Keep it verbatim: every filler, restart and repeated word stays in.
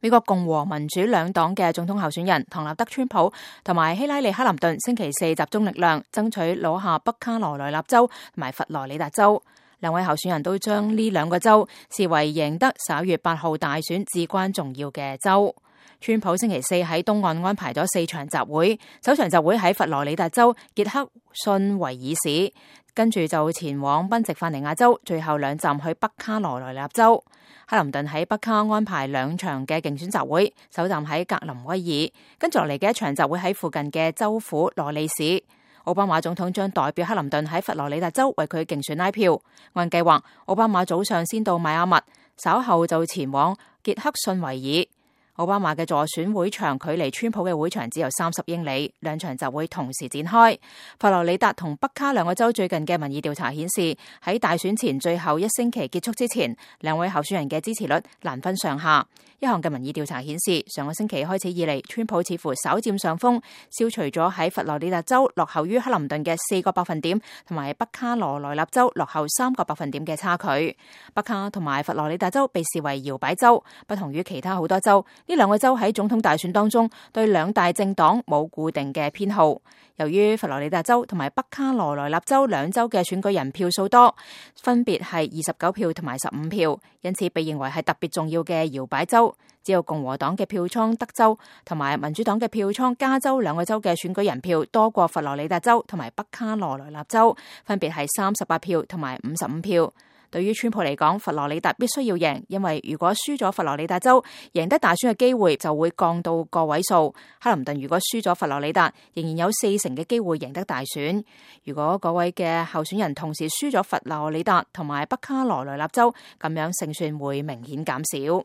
美國共和民主兩黨嘅總統候選人唐納德·川普同埋希拉里·克林頓星期四集中力量，爭取攞下北卡羅來納州同埋佛羅里達州。兩位候選人都將呢兩個州視為贏得十一月八號大選至關重要嘅州。川普星期四喺東岸安排咗四場集會，首場集會喺佛羅里達州傑克遜維爾市，跟住就前往賓夕法尼亞州，最後兩站去北卡羅來納州。克林頓喺北卡安排兩場嘅競選集會，首站喺格林威爾，跟住落嚟嘅一場集會喺附近嘅州府羅利市。奧巴馬總統將代表克林頓喺佛羅里達州為佢競選拉票。按計劃，奧巴馬早上先到邁阿密，稍後就前往傑克遜維爾。奧巴馬嘅助選會場距離川普嘅會場只有三十英里，兩場集會同時展開。佛羅里達同北卡兩個州最近嘅民意調查顯示，喺大選前最後一星期結束之前，兩位候選人嘅支持率難分上下。一項嘅民意調查顯示，上個星期開始以嚟，川普似乎稍佔上風，消除咗喺佛羅里達州落後於克林頓嘅四個百分點，同埋北卡羅來納州落後三個百分點嘅差距。北卡同埋佛羅里達州被視為搖擺州，不同於其他好多州。呢兩個州喺總統大選當中對兩大政黨冇固定嘅偏好。由於佛羅里達州同埋北卡羅來納州兩州嘅選舉人票數多，分別係二十九票同埋十五票，因此被認為係特別重要嘅搖擺州。只有共和黨嘅票倉德州同埋民主黨嘅票倉加州兩個州嘅選舉人票多過佛羅里達州同埋北卡羅來納州，分別係三十八票同埋五十五票。對於川普嚟講，佛羅里達必須要贏，因為如果輸咗佛羅里達州，贏得大選嘅機會就會降到個位數。克林頓如果輸咗佛羅里達，仍然有四成嘅機會贏得大選。如果嗰位嘅候選人同時輸咗佛羅里達同埋北卡羅來納州，咁樣勝算會明顯減少。